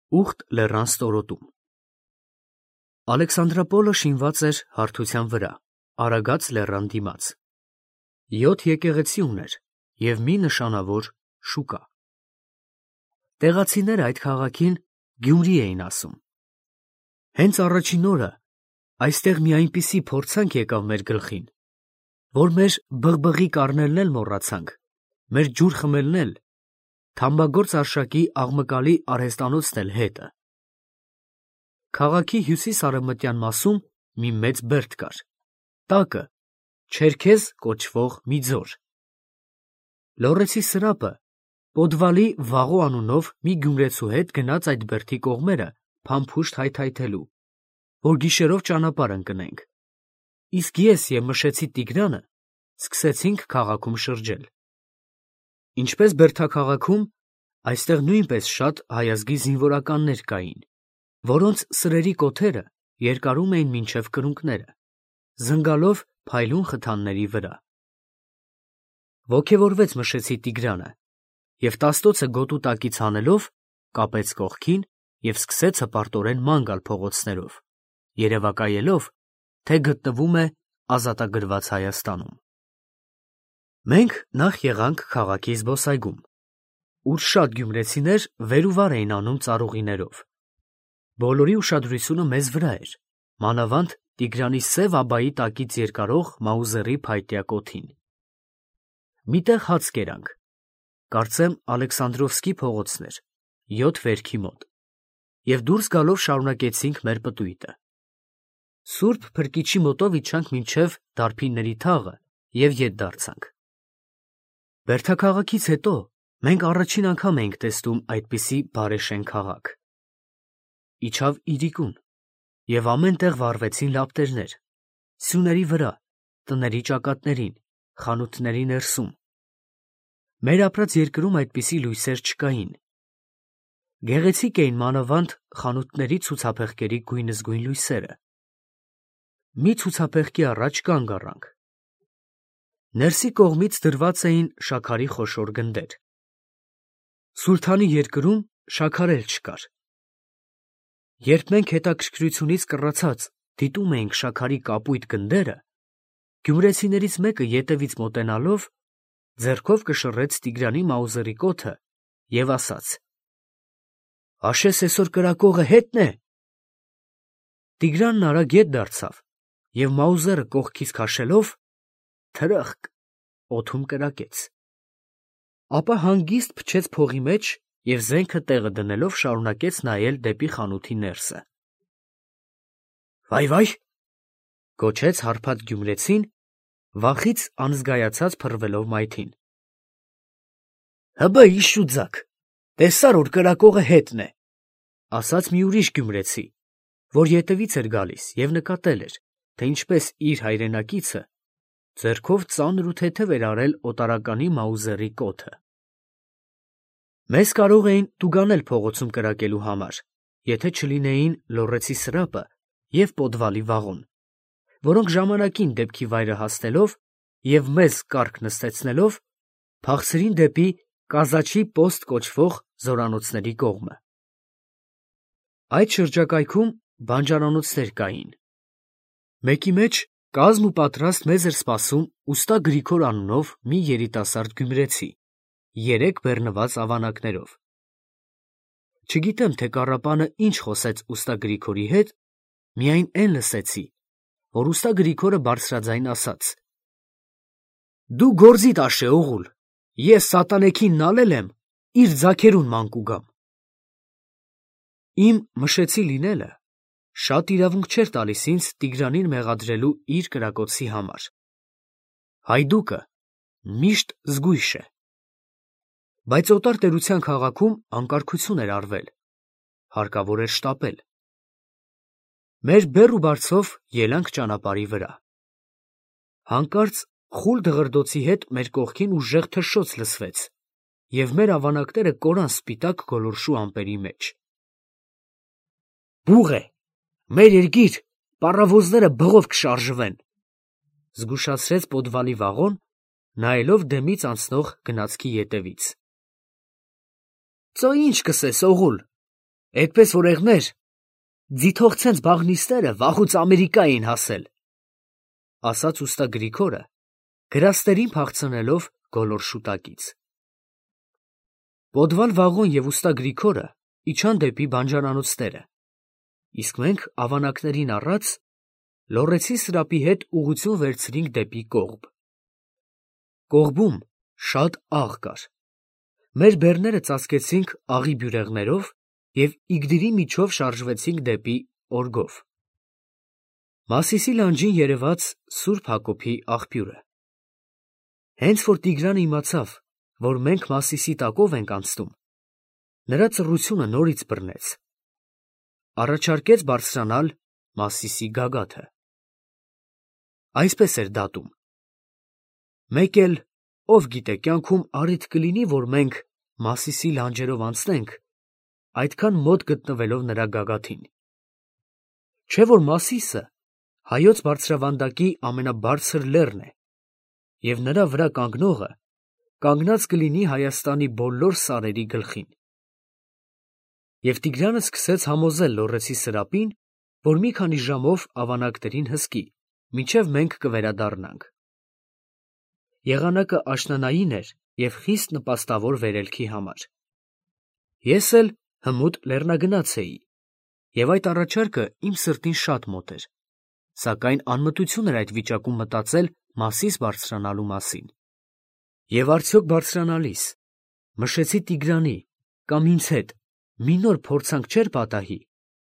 Ուխտ լեռան ստորոտում։ Ալեքսանդրապոլը շինված էր հարթության վրա, Արագած լեռան դիմաց։ 7 եկեղեցի ուներ և մի նշանավոր շուկա։ Տեղացիները այդ քաղաքին Գյումրի էին ասում։ Հենց առաջին օրը այստեղ մի այնպիսի փորձանք եկավ մեր գլխին, որ մեր բղբղի կառնելն էլ մոռացանք, մեր ջուր խմելն էլ, թամբագործ արշակի աղմկալի արհեստանոցն էլ հետը։ Քաղաքի հյուսիս-արևմտյան մասում մի մեծ բերդ կար, տակը Չերքեզ կոչվող մի ձոր։ Լոռեցի սրապը Պոդվալի Վաղո անունով մի գյումրեցու հետ գնաց այդ բերդի կողմերը փամփուշտ հայթայթելու, որ գիշերով ճանապարհ ընկնենք, իսկ ես և Մշեցի Տիգրանը սկսեցինք քաղաքում շրջել։ Ինչպես բերդաքաղաքում, այստեղ նույնպես շատ հայազգի զինվորականներ կային, որոնց սրերի կոթերը երկարում էին մինչև կրունկները, զնգալով փայլուն խթանների վրա։ Ոգևորվեց Մշեցի Տիգրանը և տաստոցը գոտու տակից հանելով կապեց կողքին և սկսեց հպարտորեն ման գալ փողոցներով, երևակայելով, թե գտնվում է ազատագրված Հայաստանում։ Մենք նախ եղանք քաղաքի զբոսայգում, ուր շատ գյումրեցիներ վեր ու վար էին անում ծառուղիներով։ Բոլորի ուշադրությունը մեզ վրա էր, մանավանդ Տիգրանի սև աբայի տակից երկարող Մաուզերի փայտյա կոթին։ Մի տեղ հաց կերանք, կարծեմ Ալեքսանդրովսկի փողոցն էր, 7 վերքի մոտ, և դուրս գալով շարունակեցինք մեր պտույտը։ Սուրբ Փրկիչի մոտով իջանք մինչև Դարբինների թաղը և ետ դարձանք։ Բերդաքաղաքից հետո մենք առաջին անգամ էինք տեսնում այդպիսի բարեշեն քաղաք։ Իջավ իրիկուն, և ամեն տեղ վառվեցին լապտերներ, սյուների վրա, տների ճակատներին, խանութների ներսում։ Մեր ապրած երկրում այդպիսի լույսեր չկային։ Գեղեցիկ էին մանավանդ խանութների ցուցափեղկերի գույնզգույն լույսերը։ Մի ցուցափեղկի առաջ կանգ առանք։ Ներսի կողմից դրված էին շաքարի խոշոր գնդեր։ Սուլթանի երկրում շաքար էլ չկար։ Երբ մենք հետաքրքրությունից կռացած դիտում էինք շաքարի կապույտ գնդերը, գյումրեցիներից մեկը ետևից մոտենալով ձեռքով կշռեց Տիգրանի Մաուզերի կոթը և ասաց. «Հաշես էսօր կրակողը հետն է»։ Տիգրանն արագ ետ դարձավ և Մաուզերը կողքից քաշելով թրըխկ օդում կրակեց։ Ապա հանգիստ փչեց փողի մեջ և զենքը տեղը դնելով շարունակեց նայել դեպի խանութի ներսը։ «Վայ, ֊ գոչեց հարբած գյումրեցին, վախից անզգայացած փռվելով մայթին։ ֊ Հըբը իշուձակ, տեսա՞ր, որ կրակողը հետն է, ֊ ասաց մի ուրիշ գյումրեցի, որ ետևից էր գալիս և նկատել էր, թե ինչպես իր հայրենակիցը ձեռքով ծանր ու թեթև էր արել օտարականի Մաուզերի կոթը։ Մեզ կարող էին տուգանել փողոցում կրակելու համար, եթե չլինեին Լոռեցի սրապը և Պոդվալի Վաղոն, որոնք ժամանակին դեպքի վայրը հասնելով և մեզ կառք նստեցնելով, փախցրին դեպի Կազաչի պոստ կոչվող զորանոցների կողմը։ Այդ շրջակայքում բանջարանոցներ կային։ Մեկի մեջ կազմ ու պատրաստ մեզ էր սպասում ուստա Գրիգոր անունով մի երիտասարդ գյումրեցի, 3 բեռնված ավանակներով։ Չգիտեմ, թե կառապանը ինչ խոսեց ուստա Գրիգորի հետ, միայն էն լսեցի, որ ուստա Գրիգորը բարձրաձայն ասաց. «Դու գործիդ աշե, օղուլ, ես սատանեքին նալել եմ, իր ձագերուն ման կուգամ»։ Իմ Մշեցի լինելը շատ իրավունք չէր տալիս ինձ Տիգրանին մեղադրելու իր կրակոցի համար։ Հայդուկը միշտ զգույշ է։ Բայց օտար տերության քաղաքում անկարգություն էր արվել, հարկավոր էր շտապել։ Մեր բեռ ու բարձով ելանք ճանապարհի վրա։ Հանկարծ խուլ դղրդոցի հետ մեր կողքին ուժեղ թշշոց լսվեց, և մեր ավանակները կորան սպիտակ գոլորշու ամպերի մեջ։ «Բուղ է, մեր երկիր, պառավոզները բղով կշարժվեն», ֊ զգուշացրեց Պոդվալի Վաղոն, նայելով դեմից անցնող գնացքի ետևից։ «Ծո ինչ կսես, օղուլ, Էդպես օրեղներ, ձիթողցենց բաղնիստերը վաղուց Ամերիկա էին հասել, ասաց ուստա Գրիգորը, գրաստերին փախցնելով գոլոր շուտակից։ Պոդվալ Վաղոն և ուստա Գրիգորը իջան դեպի բանջարանոցները, իսկ մենք ավանակներին առած Լոռեցի սրապի հետ ուղղություն վերցրինք դեպի կողբ։ Կողբում շատ աղ կար։ Մեր բեռները ծածկեցինք աղի բյուրեղներով և իգդիրի միջով շարժվեցինք դեպի օրգով։ Մասիսի լանջին երևաց Սուրբ Հակոբի աղբյուրը։ Հենց որ Տիգրանը իմացավ, որ մենք Մասիսի տակով ենք անցնում, նրա ծռությունը նորից բռնեց։ Առաջարկեց բարձրանալ Մասիսի գագաթը։ Այսպես էր դատում. մեկ էլ, ով գիտե, կյանքում առիթ կլինի, որ մենք Մասիսի լանջերով անցնենք, այդքան մոտ գտնվելով նրա գագաթին։ Չէ՞ որ Մասիսը հայոց բարձրավանդակի ամենաբարձր լեռն է, և նրա վրա կանգնողը կանգնած կլինի Հայաստանի բոլոր սարերի գլխին։ Եվ Տիգրանը սկսեց համոզել Լոռեցի սրապին, որ մի քանի ժամով ավանակներին հսկի, մինչև մենք կվերադառնանք։ Եղանակը աշնանային էր և խիստ նպաստավոր վերելքի համար։ Ես էլ հմուտ լեռնագնաց էի, և այդ առաջարկը իմ սրտին շատ մոտ էր, սակայն անմտություն էր այդ վիճակում մտածել Մասիս բարձրանալու մասին։ Եվ արդյոք բարձրանալիս մշեցի Տիգրանի կամ ինձ հետ մի նոր փորձանք չէր պատահի,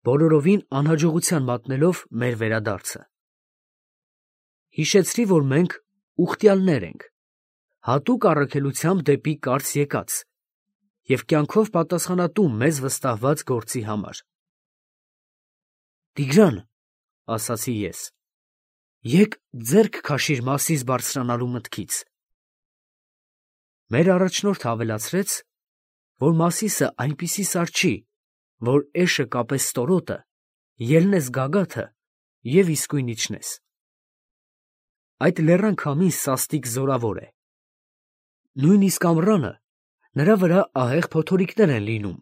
բոլորովին անհաջողության մատնելով մեր վերադարձը։ Հիշեցրի, որ մենք ուխտյալներ ենք, հատուկ առաքելությամբ դեպի Կարծ եկած և կյանքով պատասխանատու մեզ վստահված գործի համար։ Տիգրան, ասացի ես, եկ ձեռք քաշիր Մասիս բարձրանալու մտքից։ Մեր առաջնորդը ավելացրեց, որ Մասիսը այնպիսի սար չի, որ էշը կապես ստորոտը, ելնես գագաթը և իսկույն իջնես։ Այդ լեռան քամին սաստիկ զորավոր է։ Նույնիսկ ամռանը նրա վրա ահեղ փոթորիկներ են լինում,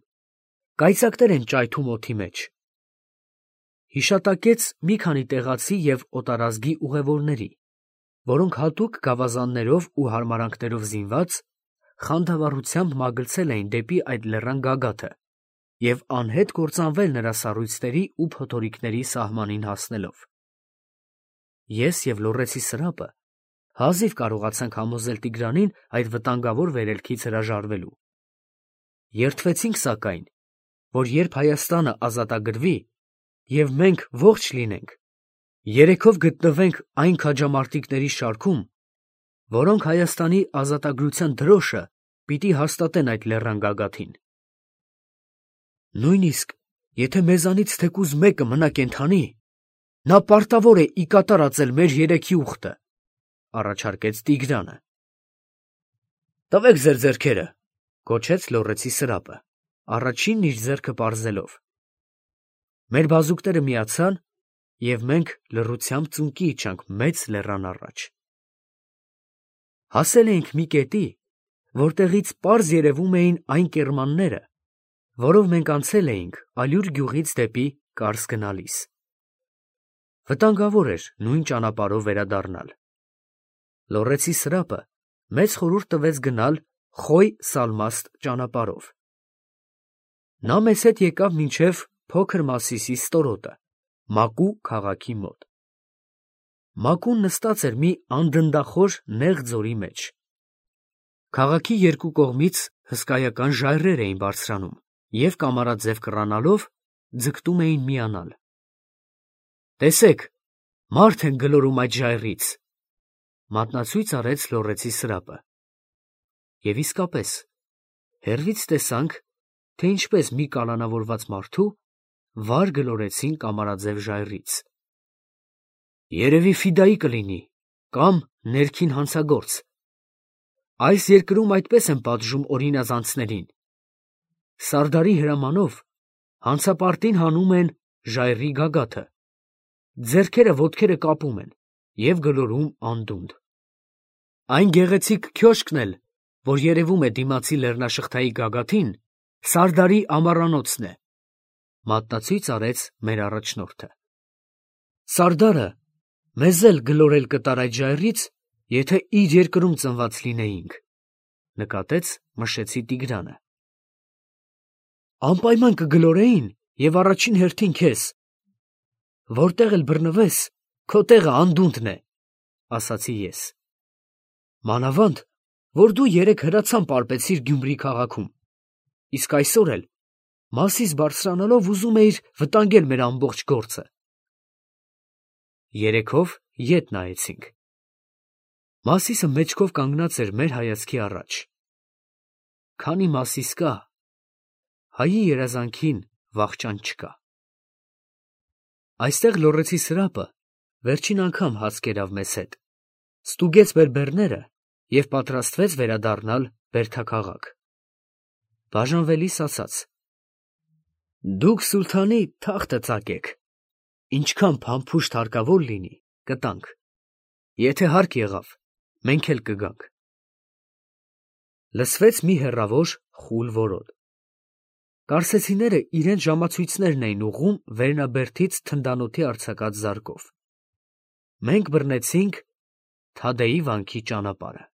կայծակներ են ճայթում օդի մեջ։ Հիշատակեց մի քանի տեղացի և օտարազգի ուղևորների, որոնք հատուկ գավազաններով ու հարմարանքներով զինված խանդավառությամբ մագլցել էին դեպի այդ լեռան գագաթը և անհետ կործանվել նրա սառույցների ու փոթորիկների սահմանին հասնելով։ Ես և Լոռեցի սրապը հազիվ կարողացանք համոզել Տիգրանին այդ վտանգավոր վերելքից հրաժարվելու։ Երդվեցինք, սակայն, որ երբ Հայաստանը ազատագրվի և մենք ողջ լինենք, երեքով գտնվենք այն քաջամարտիկների շարքում, որոնք Հայաստանի ազատագրության դրոշը պիտի հաստատեն այդ լեռան գագաթին։ Նույնիսկ եթե մեզանից թեկուզ մեկը մնա կենդանի, նա պարտավոր է ի կատար ածել մեր երեքի ուխտը, առաջարկեց Տիգրանը։ Տվեք ձեր ձեռքերը, գոչեց Լոռեցի սրապը, առաջինն իր ձեռքը պարզելով։ Մեր բազուկները միացան, և մենք լռությամբ ծունկի իջանք մեծ լեռան առաջ։ Հասել էինք մի կետի, որտեղից պարզ երևում էին այն կեռմանները, որով մենք անցել էինք Ալյուր գյուղից դեպի Կարս գնալիս։ Վտանգավոր էր նույն ճանապարհով վերադառնալ։ Լոռեցի սրապը մեծ խորհուրդ տվեց գնալ Խոյ-Սալմաստ ճանապարհով։ Նա մեզ հետ եկավ մինչև փոքր Մասիսի ստորոտը, Մակու քաղաքի մոտ։ Մակուն նստած էր մի անդնդախոր նեղ ձորի մեջ։ Քաղաքի երկու կողմից հսկայական ժայռեր էին բարձրանում և կամարաձև կռանալով ձգտում էին միանալ։ Տեսեք, մարդ են գլորում այդ ժայռից, մատնացույց արեց Լոռեցի սրապը։ Եվ իսկապես, հեռվից տեսանք, թե ինչպես մի կալանավորված մարդու վար գլորեցին կամարաձև ժայռից։ Երևի ֆիդայի կլինի, կամ ներքին հանցագործ։ Այս երկրում այդպես են պատժում օրինազանցներին։ Սարդարի հրամանով հանցապարտին հանում են ժայռի գագաթը, ձեռքերը ոտքերը կապում են և գլորում անդունդ։ Այն գեղեցիկ քյոշկն էլ, որ երևում է դիմացի լեռնաշղթայի գագաթին, Սարդարի ամառանոցն է, Մատնացույց արեց մեր առաջնորդը։ Սարդարը մեզ էլ գլորել կտար այդ ժայռից, եթե իր երկրում ծնված լինեինք, նկատեց Մշեցի Տիգրանը։ Անպայման կգլորեին և առաջին հերթին քեզ։ Որտեղ էլ բռնվես, քո տեղը անդունդն է, ասացի ես։ Մանավանդ, որ դու երեկ հրացան պարպեցիր Գյումրի քաղաքում, իսկ այսօր էլ մասիս բարձրանալով ուզում էիր վտանգել մեր ամբողջ գործը։ Երեքով ետ նայեցինք։ Մասիսը մեջքով կանգնած էր մեր հայացքի առաջ։ Քանի Մասիս կա, հայի երազանքին վախճան չկա։ Այստեղ լոռեցի սրապը վերջին անգամ հաց կերավ մեզ հետ, ստուգեց մեր բեռները և պատրաստվեց վերադառնալ բերդաքաղաք։ Բաժանվելիս ասաց. Դուք սուլթանի թախտը ծակեք, ինչքան փամփուշտ հարկավոր լինի, կտանք, եթե հարկ եղավ, մենք էլ կգանք։ Լսվեց մի հեռավոր խուլ որոտ։ Կարսեցիները իրենց ժամացույցներն էին ուղղում վերնաբերդից թնդանոթի արձակած զարկով։ Մենք բռնեցինք Թադեի վանքի ճանապարհը։